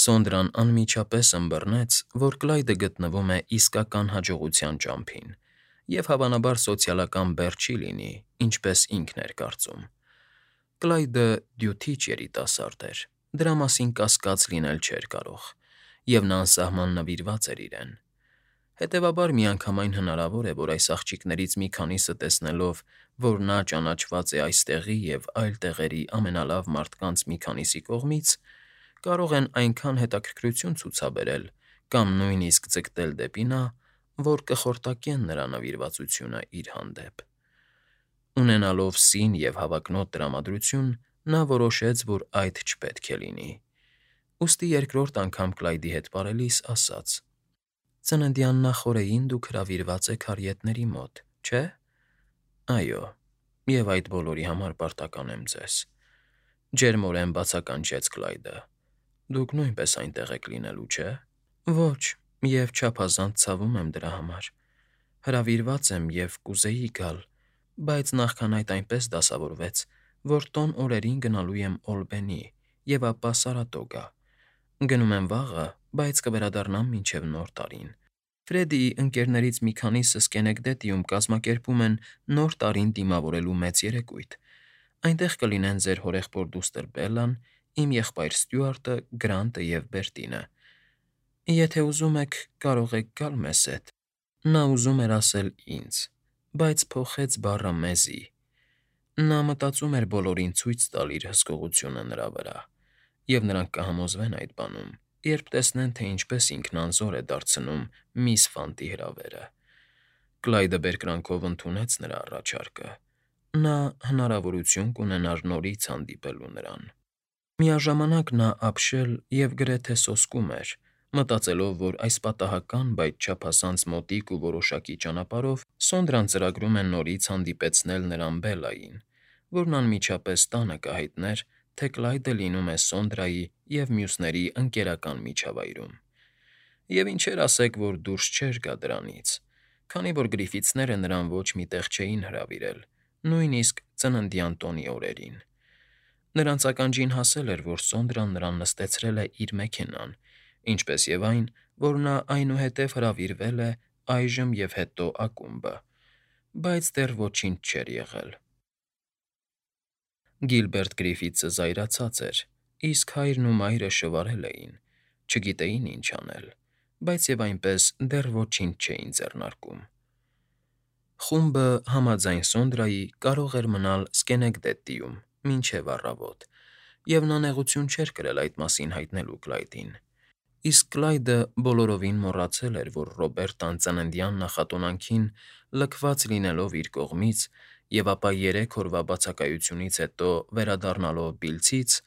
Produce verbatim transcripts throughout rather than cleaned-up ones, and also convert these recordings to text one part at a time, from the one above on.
Սոնդրան անմիջապես ըմբռնեց, որ Կլայդը գտնվում է իսկական հաջողության ճամփին և, հավանաբար, սոցիալական բեռ չի լինի, ինչպես ինքն էր կարծում։ Կլայդը դյութիչ երիտասարդ էր, դրա մասին կասկած լինել չէր կարող, և նա անսահման նվիրված էր իրեն։ Հետևաբար, միանգամայն հնարավոր է, որ այս աղջիկներից մի քանիսը տեսնելով, որ նա ճանաչված է այստեղի և այլ տեղերի ամենալավ մարդկանց մի քանիսի կողմից, կարող են այնքան հետաքրքրություն ցուցաբերել կամ նույնիսկ ձգտել դեպի նա, որ կխորտակեն նրա նվիրվածությունը իր հանդեպ։ Ունենալով սին և հավակնոտ տրամադրություն, նա որոշեց, որ այդ չպետք է լինի, ուստի երկրորդ անգամ Կլայդի հետ պարելիս ասաց. «Ծննդյան նախօրեին դուք հրավիրված եք հարիետների մոտ, չէ՞»։ «Այո, և այդ բոլորի համար պարտական եմ ձեզ», ֊ ջերմորեն բացականչեց Կլայդը։ «Դուք նույնպես այնտեղ եք լինելու, չէ՞»։ «Ոչ, և չափազանց ցավում եմ դրա համար։ Հրավիրված եմ և կուզեի գալ, բայց նախքան այդ այնպես դասավորվեց, որ տոն օրերին գնալու եմ Օլբենի և ապա Սարատոգա։ Գնում եմ վաղը, բայց կվերադառնամ մինչև Նոր տարին։ Ֆրեդիի ընկերներից մի քանիսը Սքենեկդեթիում կազմակերպում են Նոր տարին դիմավորելու մեծ երեկույթ։ Այնտեղ կլինեն ձեր հորեղբոր դուստր Բելլան, իմ եղբայր Ստյուարտը, Գրանտը և Բերտինը։ Եթե ուզում եք, կարող եք գալ մեզ հետ»։ Նա ուզում էր ասել ինձ, բայց փոխեց բառը մեզի։ Նա մտածում էր բոլորին ցույց տալ իր հսկողությունը նրա վրա, և նրանք կհամոզվեն այդ բանում, երբ տեսնեն, թե ինչպես ինքնանզոր է դարձնում միս Ֆանտի հրավերը։ Կլայդը բերկրանքով ընդունեց նրա առաջարկը։ Նա հնարավորություն կունենար նորից հանդիպելու նրան։ Միաժամանակ նա ապշել և գրեթե սոսկում էր, մտածելով, որ այս պատահական, բայց չափազանց մոտիկ ու որոշակի ճանապարհով Սոնդրան ծրագրում է նորից հանդիպեցնել նրան Բելլային, որն անմիջապես տանը կհայտներ, թե Կլայդը լինում է Սոնդրայի և մյուսների ընկերական միջավայրում։ Եվ ինչեր ասեք, որ դուրս չէր գա դրանից, քանի որ Գրիֆիթսները նրան ոչ մի տեղ չէին հրավիրել, նույնիսկ ծննդյան տոնի օրերին։ Նրանց ականջին հասել էր, որ Սոնդրան նրան նստեցրել է իր մեքենան, ինչպես և այն, որ նա այնուհետև հրավիրվել է այժմ և հետո ակումբը, բայց դեռ ոչինչ չէր եղել։ Գիլբերտ Գրիֆիթսը զայրացած էր, իսկ հայրն ու մայրը շվարել էին, չգիտեին ինչ անել, բայց և այնպես դեռ ոչինչ չէին ձեռնարկում։ Խումբը, համաձայն Սոնդրայի, կարող էր մնալ Սքենեկդեթիում մինչև առավոտ, և նա նեղություն չէր կրել այդ մասին հայտնելու Կլայդին։ Իսկ Կլայդը բոլորովին մոռացել էր, որ Ռոբերտան ծննդյան նախատոնանքին, լքված լինելով իր կողմից և ապա երեք օրվա բացակայությունից հետո վերադառնալով Բիլցից,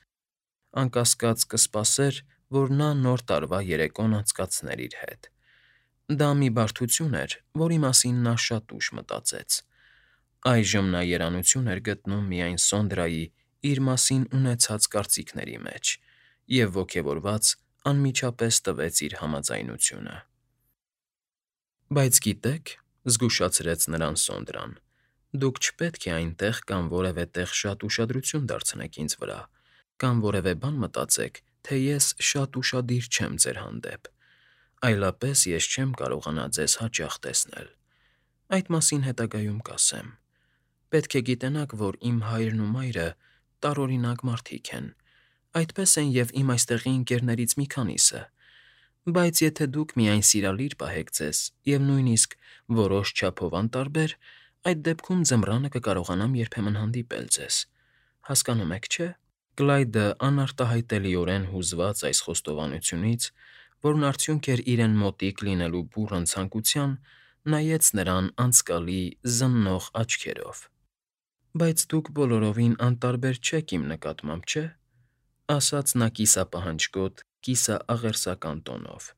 անկասկած կսպասեր, որ նա Նոր տարվա երեկոն անցկացներ իր հետ։ Դա մի բարդություն էր, որի մասին նա շատ ուշ մտածեց։ Այժմ նա երանություն էր գտնում միայն Սոնդրայի իր մասին ունեցած կարծիքների մեջ և, ոգևորված, անմիջապես տվեց իր համաձայնությունը։ «Բայց գիտեք,֊ զգուշացրեց նրան Սոնդրան,֊ դուք չպետք է այնտեղ կամ որևէ տեղ շատ ուշադրություն դարձնեք ինձ վրա, կամ որևէ բան մտածեք, թե ես շատ ուշադիր չեմ ձեր հանդեպ, այլապես ես չեմ կարողանա ձեզ հաճախ տեսնել։ Այդ մասին հետագայում կասեմ։ Պետք է գիտենաք, որ իմ հայրն ու մայրը տարօրինակ մարդիկ են, այդպես են և իմ այստեղի ընկերներից մի քանիսը, բայց եթե դուք միայն սիրալիր պահեք ձեզ և նույնիսկ որոշ չափով անտարբեր, այդ դեպքում ձմռանը կկարողանամ երբեմն հանդիպել ձեզ։ Հասկանում եք, չէ՞։ Կլայդը, անարտահայտելիորեն հուզված այս խոստովանությունից, որն արդյունք էր իրեն մոտիկ լինելու բուռն ցանկության, նայեց նրան անցկալի, զննող աչքերով։ «Բայց դուք բոլորովին անտարբեր չեք իմ նկատմամբ, չէ՞», ֊ ասաց նա կիսապահանջկոտ, կիսաաղերսական տոնով։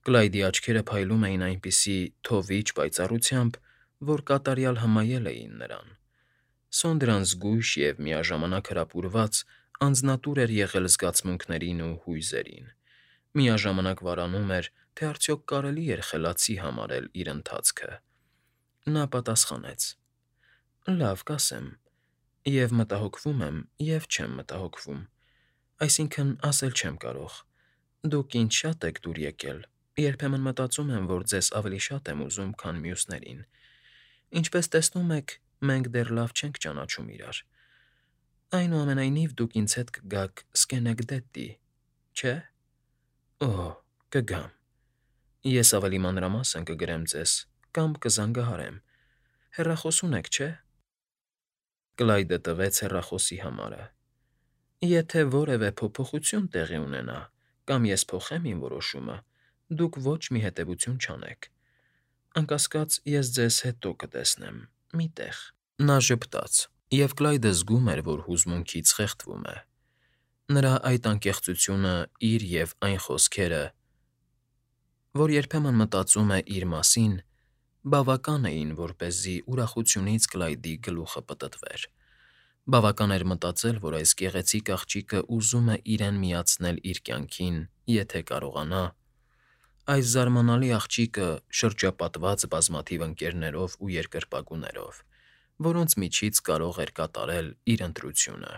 Կլայդի աչքերը փայլում էին այնպիսի թովիչ պայծառությամբ, որ կատարյալ հմայել էին նրան։ Սոնդրան զգույշ և միաժամանակ հրապուրված անձնատուր էր եղել զգացմունքներին ու հույզերին, միաժամանակ վարանում էր, թե արդյոք կարելի էր խելացի համարել իր ընթացքը։ Նա պատասխանեց. «Լավ, կասեմ, և մտահոգվում եմ, և չեմ մտահոգվում, այսինքն՝ ասել չեմ կարող, Դուք ինձ շատ եք դուր եկել։ Երբեմն մտածում եմ, որ ձեզ ավելի շատ եմ ուզում, քան մյուսներին։ Ինչպես տեսնում եք, մենք դեռ լավ չենք ճանաչում իրար։ Այնուամենայնիվ դուք ինձ հետ կգաք Սկենեկդեդի, չէ՞։ Օհ, կգամ։ Ես ավելի մանրամասն կգրեմ ձեզ կամ կզանգահարեմ։ Հեռախոս ունեք, չէ՞։ Կլայդը տվեց հեռախոսի համարը։ Եթե որևէ փոփոխություն տեղի ունենա, կամ ես փոխեմ իմ որոշումը, դուք ոչ մի հետևություն չանեք։ Անկասկած, ես ձեզ հետո կտեսնեմ, մի տեղ։ Նա ժպտաց, և Կլայդը զգում էր, որ հուզմունքից խեղդվում է։ Նրա այդ անկեղծությունը իր և այն խոսքերը, որ երբեմն մտածում է իր մասին, բավական էին, որպեսզի ուրախությունից Կլայդի գլուխը պտտվեր։ Բավական էր մտածել, որ այս գեղեցիկ աղջիկը ուզում է իրեն միացնել իր կյանքին, եթե կարողանա։ Այս զարմանալի աղջիկը շրջապատված բազմաթիվ ընկերներով ու երկրպագուներով, որոնց միջից կարող էր կատարել իր ընտրությունը։